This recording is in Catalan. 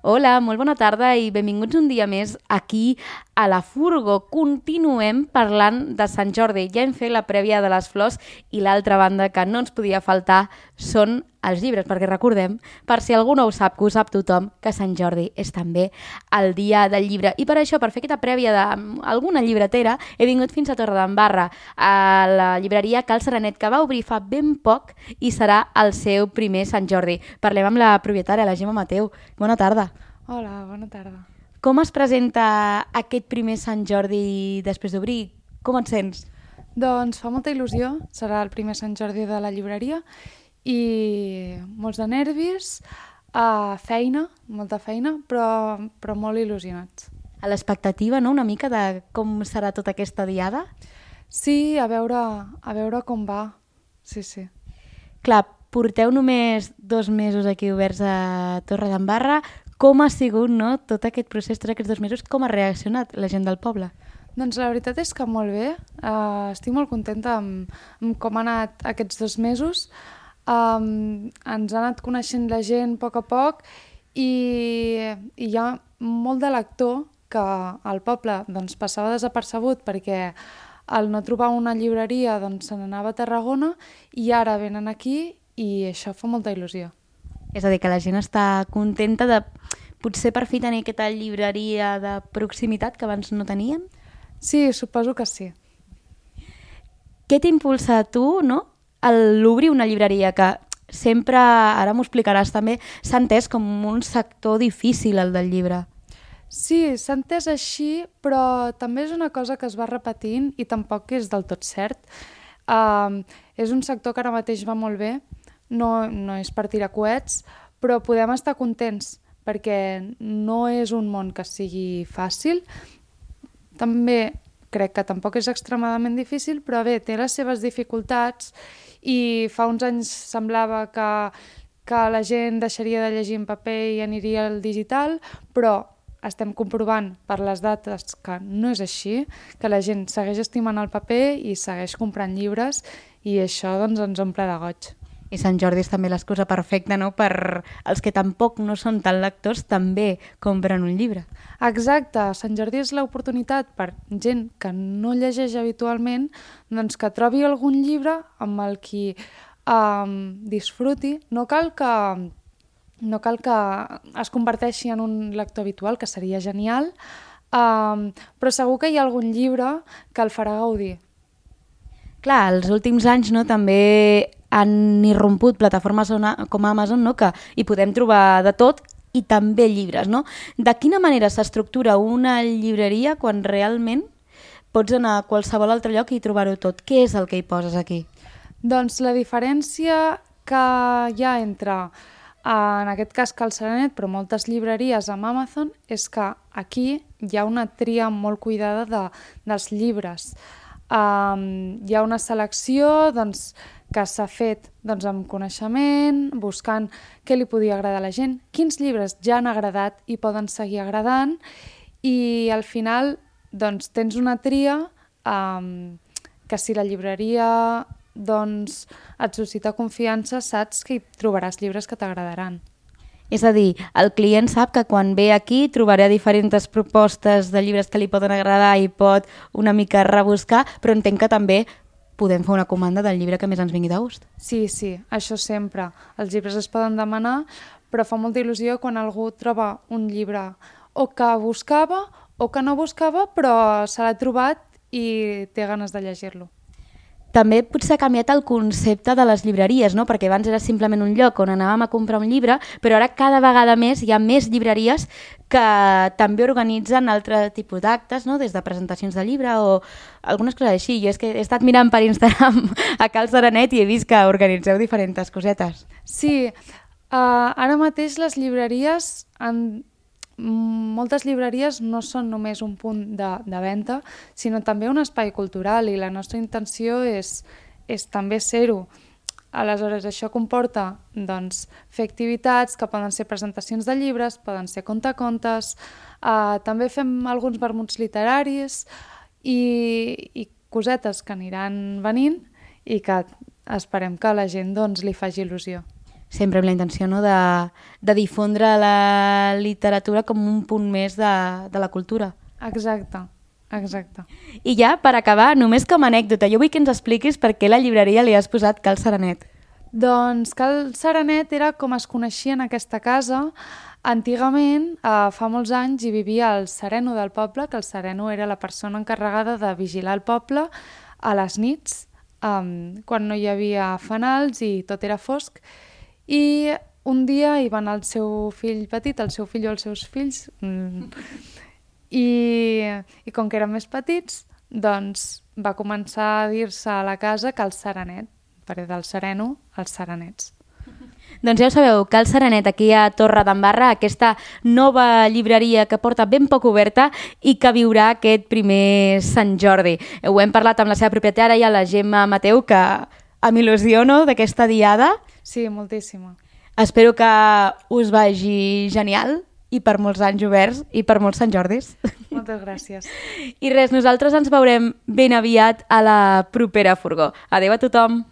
Hola, molt bona tarda i benvinguts un dia més aquí a la Furgo. Continuem parlant de Sant Jordi. Ja hem fet la prèvia de les flors i l'altra banda que no ens podia faltar són els llibres, perquè recordem, per si algú no ho sap, que ho sap tothom, que Sant Jordi és també el dia del llibre. I per això, per fer aquesta prèvia d'alguna llibretera, he vingut fins a Torredembarra, a la llibreria Cal Serenet, que va obrir fa ben poc i serà el seu primer Sant Jordi. Parlem amb la propietària, la Gemma Mateu. Bona tarda. Hola, bona tarda. Com es presenta aquest primer Sant Jordi després d'obrir? Com et sents? Doncs fa molta il·lusió, serà el primer Sant Jordi de la llibreria i molts de nervis, feina, molta feina, però molt il·lusionats. A l'expectativa, no?, una mica de com serà tota aquesta diada? Sí, a veure com va, sí. Clar, porteu només 2 mesos aquí oberts a Torredembarra. Com ha sigut, no?, tot aquest procés, tots aquests 2 mesos, com ha reaccionat la gent del poble? Doncs la veritat és que molt bé, estic molt contenta amb com han anat aquests 2 mesos. Ens ha anat coneixent la gent a poc i hi ha molt de lector que al poble doncs, passava desapercebut perquè al no trobar una llibreria doncs, se n'anava a Tarragona i ara venen aquí i això fa molta il·lusió. És a dir, que la gent està contenta de potser per fi tenir aquesta llibreria de proximitat que abans no tenien? Sí, suposo que sí. Què t'impulsa a tu, no?, a l'obrir una llibreria que sempre, ara m'ho explicaràs també, s'ha entès com un sector difícil, el del llibre. Sí, s'ha entès així, però també és una cosa que es va repetint i tampoc és del tot cert. És un sector que ara mateix va molt bé, no és per tirar coets, però podem estar contents perquè no és un món que sigui fàcil. També crec que tampoc és extremadament difícil, però bé, té les seves dificultats i fa uns anys semblava que la gent deixaria de llegir en paper i aniria al digital, però estem comprovant per les dates que no és així, que la gent segueix estimant el paper i segueix comprant llibres i això doncs, ens omple de goig. I Sant Jordi és també l'excusa perfecta, no?, per als que tampoc no són tan lectors també compren un llibre. Exacte, Sant Jordi és l'oportunitat per gent que no llegeix habitualment doncs que trobi algun llibre amb el qui disfruti. No cal que es converteixi en un lector habitual, que seria genial, però segur que hi ha algun llibre que el farà gaudir. Clar, els últims anys, no, també han irromput plataformes com Amazon, no?, que hi podem trobar de tot i també llibres, no? De quina manera s'estructura una llibreria quan realment pots anar a qualsevol altre lloc i trobar-ho tot? Què és el que hi poses aquí? Doncs la diferència que hi ha entre, en aquest cas Cal Serenet, però moltes llibreries amb Amazon, és que aquí hi ha una tria molt cuidada dels llibres. Hi ha una selecció doncs, que s'ha fet doncs, amb coneixement, buscant què li podia agradar a la gent, quins llibres ja han agradat i poden seguir agradant i al final doncs, tens una tria que si la llibreria doncs, et suscita confiança saps que hi trobaràs llibres que t'agradaran. És a dir, el client sap que quan ve aquí trobarà diferents propostes de llibres que li poden agradar i pot una mica rebuscar, però entenc que també podem fer una comanda del llibre que més ens vingui de gust. Sí, això sempre. Els llibres es poden demanar, però fa molta il·lusió quan algú troba un llibre o que buscava o que no buscava, però se l'ha trobat i té ganes de llegir-lo. També potser ha canviat el concepte de les llibreries, no?, perquè abans era simplement un lloc on anàvem a comprar un llibre, però ara cada vegada més hi ha més llibreries que també organitzen altre tipus d'actes, no?, des de presentacions de llibre o algunes coses així. Jo és que he estat mirant per Instagram a Cal Serenet i he vist que organitzeu diferents cosetes. Sí, ara mateix les llibreries moltes llibreries no són només un punt de venda, sinó també un espai cultural i la nostra intenció és també ser-ho. Aleshores, això comporta doncs, fer activitats que poden ser presentacions de llibres, poden ser contacontes, també fem alguns vermuts literaris i cosetes que aniran venint i que esperem que a la gent doncs, li faci il·lusió. Sempre amb la intenció, no?, de difondre la literatura com un punt més de la cultura. Exacte. I ja, per acabar, només com a anècdota, jo vull que ens expliquis per què a la llibreria li has posat Cal Serenet. Doncs Cal Serenet era com es coneixia en aquesta casa. Antigament, fa molts anys, hi vivia el sereno del poble, que el sereno era la persona encarregada de vigilar el poble a les nits, quan no hi havia fanals i tot era fosc. I un dia hi va anar el seu fill petit, el seu fill o els seus fills, i com que eren més petits, doncs va començar a dir-se a la casa Cal Serenet, perquè del sereno als serenets. Doncs ja ho sabeu, Cal Serenet, aquí a Torre d'Embarra, aquesta nova llibreria que porta ben poc oberta i que viurà aquest primer Sant Jordi. Ho hem parlat amb la seva propietària, la Gemma Mateu, que m'il·lusiono d'aquesta diada. Sí, moltíssima. Espero que us vagi genial i per molts anys oberts i per molts Sant Jordis. Moltes gràcies. I res, nosaltres ens veurem ben aviat a la propera furgó. Adéu a tothom!